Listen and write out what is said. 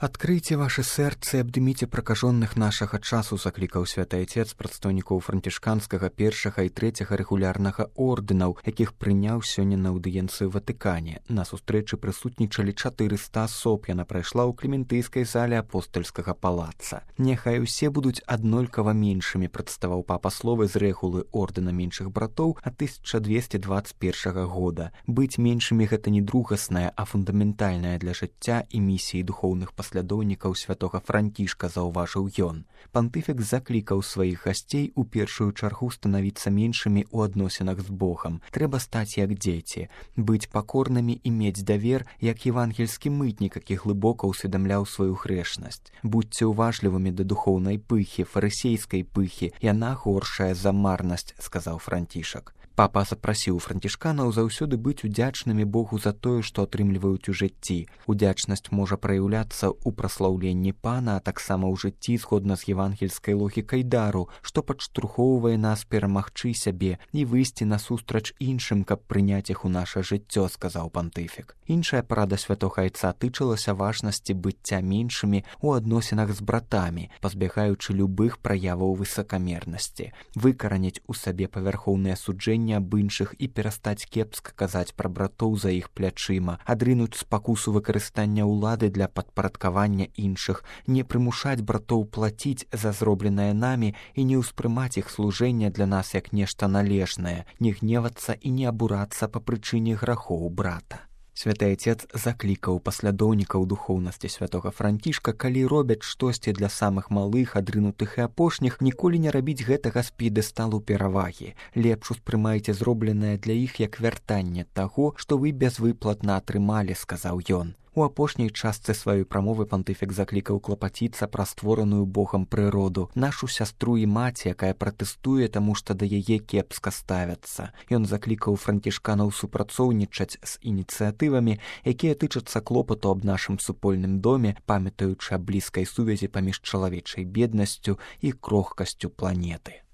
Адкрыйце вашы сэрцы, абдыміце пракажоных нашага часу, заклікаў святы айцец прадстаўнікоў францішканскага першага і трэцяга рэгулярнага ордэнаў, якіх прыняў сёння на аўдыенцыі ў Ватыкане. На сустрэчы прысутнічалі 400 асоб. Яна прайшла ў клементыйскай зале апостальскага палаца. Няхай усе будуць аднолькава меншымі, прадставаў папа словы з рэгулы ордэна меншых братоў ад 1221 года. Быць меншымі гэта не другаснае, а фундаментальнае для жыцця і місіі духоўных паслядоўнікаў святога Францішка, заўважыў ён. Пантыфік заклікаў сваіх гасцей у першую чаргу станавіцца меншымі ў адносінах з Богам. Трэба стаць як дзеці, быць пакорнымі і мець давер, як евангельскі мытнік, які глыбока ўсведамляў сваю грэшнасць. Будзьце уважлівымі да духоўнай пыхі, фарысейскай пыхі, яна горшая за марнасць, сказаў Францішак. Папа запрасіў францішканаў заўсёды быць удзячнымі Богу за тое, што атрымліваюць у жыцці. Удзячнасць можа праяўляцца ў праслаўленні Пана, а таксама ў жыцці згодна з евангельскай логікай дару, што падштурхоўвае нас перамагчы сябе і выйсці насустрач іншым, каб прыняць іх у наша жыццё, сказаў пантыфік. Іншая парада святога айца тычылася важнасці быцця меншымі ў адносінах з братамі, пазбягаючы любых праяваў высакамернасці, выкараніць у сабе павярхоўнае суджэнне аб іншых і перастаць кепска казаць пра братоў за іх плячыма, адрынуць спакусу выкарыстання ўлады для падпарадкавання іншых, не прымушаць братоў плаціць за зробленае намі і не ўспрымаць іх служэнне для нас як нешта належнае, не гневацца і не абурацца па прычыне грахоў брата. Святы айцец заклікаў паслядоўнікаў духоўнасці святога Францішка, калі робяць штосьці для самых малых, адрынутых і апошніх, ніколі не рабіць гэтага з п'едэсталу перавагі. Лепш успрымайце зробленае для іх як вяртанне таго, што вы безвыплатна атрымалі, сказаў ён. У апошняй частцы сваёй прамовы пантыфік заклікаў клапаціцца пра створаную Богам прыроду, нашу сястру і маці, якая пратэстуе, таму што да яе кепска ставяцца. Ён заклікаў францішканаў супрацоўнічаць з ініцыятывамі, якія тычацца клопату аб нашым супольным доме, памятаючы аб блізкай сувязі паміж чалавечай беднасцю і крохкасцю планеты.